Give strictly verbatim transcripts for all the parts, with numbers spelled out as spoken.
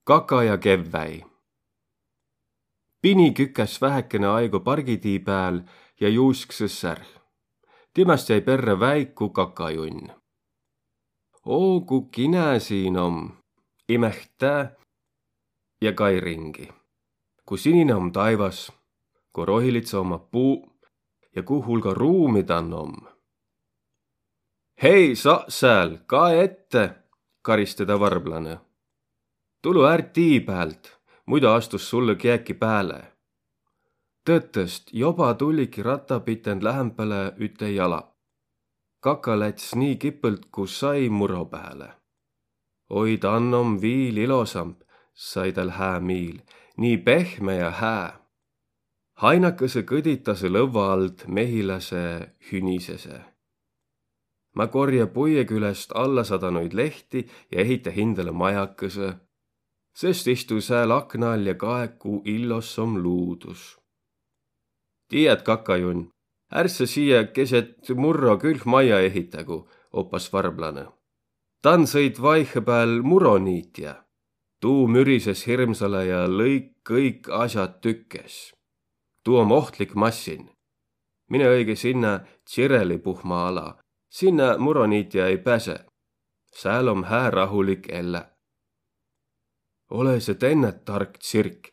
Kaka ja kevväi. Pini kükäs vähäkene aigo pargitii pääl ja juusksõ sär. Timast jäi perrä väiku kakajunn. Oo, ku kinä siin om, imeht' tää ja kai ringi. Ku sinine om taivas, ku rohilidsõ omma puu ja ku hulga ruumi dan om. Hei, sa sääl, kae ette, karis tedä varblanõ. Tulõ är tii päält, muido astus sullõ kiäki pääle. Tõtõst joba tulliki ratta piten lähämpälä üte jala. Kaka läts' nii kipõlt ku sai muro pääle. Oi, dan om viil ilosamb, sai tal hää miil, nii pehme ja hää. Hainakõsõ kõditasõ lõvva ald, mehiläse hünisese. Ma korja puie küläst allasadanoid lehti ja ehitä hindäle majakõsõ, sest istu sääl akna all ja kae, ku illos om luudus. Tiiät, kakajunn, är sa siia keset murro külh maja ehitägu, opas varblanõ. Dan sõit vaihepääl muroniitjä. Tuu mürises hirmsalõ ja lõik' kõik asjad tükkes. Tuu om ohtlik massin. Mine õige sinnä tsireli puhma ala. Sinnä muroniitjä ei päse. Sääl om hää rahulik ellä. Ole se tennät, tark tsirk,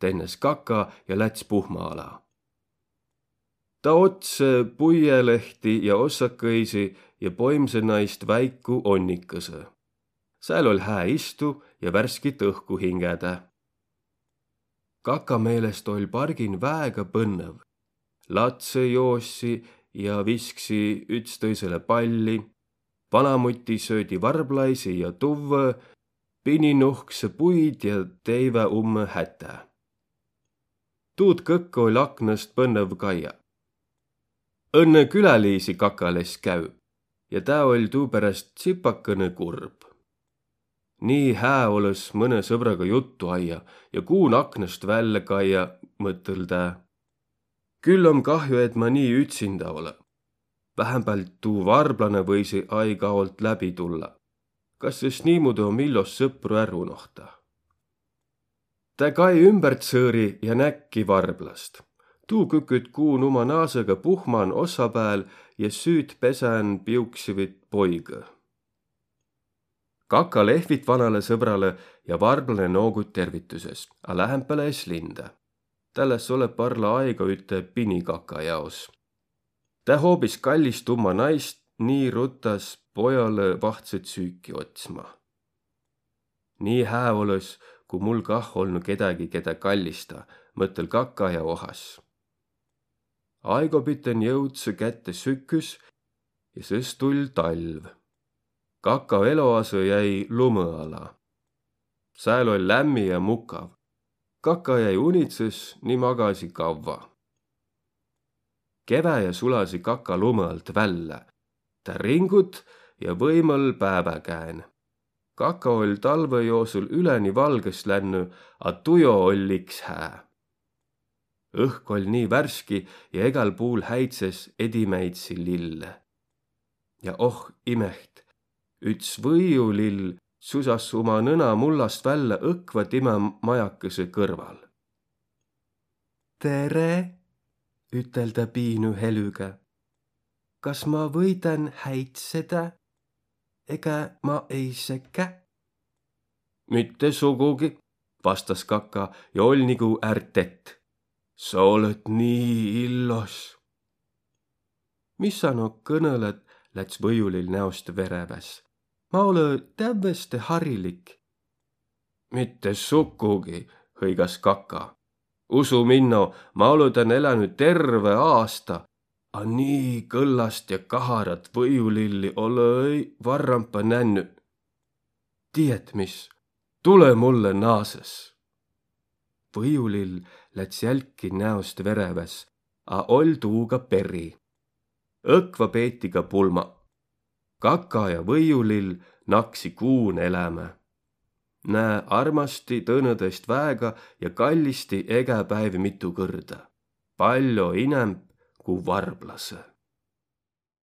tennäs kaka ja läts' puhma ala. Ta otsõ puielehti ja ossakõisi ja poimsõ naist väiku onnikõsõ. Sääl oll' hää istu ja värskit õhku hingädä. Kaka meelest oll' pargin väega põnnõv. Latsõ joossi ja visksi ütstõisilõ palli, vanamuti söödi varblaisi ja tuvvõ, pini nuhksõ puid ja teivä ummõ hätä. Tuud kõkkõ oll' aknast põnnõv kaia. Õnnõ küläliisi kaka less käü ja tää oll' tuuperäst tsipakõnõ kurb. Nii hää olõs mõnõ sõbraga juttu aia ja kuun aknast vällä kaia, mõtõl' tää. Küll om kahju, et ma nii ütsindä olõ. Vähämbält tuu varblanõ võisi aig-aolt läbi tulla. Kas sõs niimuudu om illos sõpru är unohta? Tä kai ümbertsõõri ja näkki varblast. Tuu küküt kuun uma naasõga puhman ossa pääl ja süüt pesän piuksivit poigõ. Kaka lehvit vanalõ sõbralõ ja varblane noogut tervitüses, a lähämpälä es lindä. Täl es olõ parla aigo üte pini kaka jaos. Tä hoobis kallist umma naist, nii ruttas pojalõ vahtsõt süüki otsma. Nii hää olõs, ku mul kah olnu kedägi, kedä kallista, mõtõl kaka ja ohas. Aigo piten jõudsõ kätte süküs ja sõs tull' talv. Kaka eloasõ jäi lumõ ala. Sääl oll' lämmi ja mukav. Kaka jäi unitsõs ni magasi kavva. Keväjä sulasi kaka lumõ alt vällä. Tä ringut ja võimal päävä kään. Kaka oll' talvõ joosul üleni valgõs lännü, a tujo oll' iks hää. Õhk oll' nii värski ja egal puul häitses edimäidsi lille. Ja oh imeht, üts võiulill' susas' uma nõna mullast vällä õkva timä majakõsõ kõrval. Tere, ütel' tä piinü helüga. Kas ma võidan häitsedä? Ega ma ei sekä? Mitte sugugi, vastas kaka ja oll' nigu är tett. Sa olõt nii illos. Mis sa no kõnõlõt, läts' võiulill' näost vereväs. Ma olõ tävveste harilik. Mitte sukugi, hõigas kaka. Usu minno, ma olõ tän elänü terve aasta, a nii kõllast ja kaharat võiulilli olõ-i varrampa nännü. Tiiät mis, tulõ mullõ naasõs. Võiulill' läts' jälki näost vereväs, a oll' tuuga peri. Õkva peeti ka pulma. Kaka ja võiulill' naksi kuun elämä. Nä armasti tõõnõ tõist väega ja kallisti egä päiv mitu kõrda. Pall'o inämb ku varblasõ.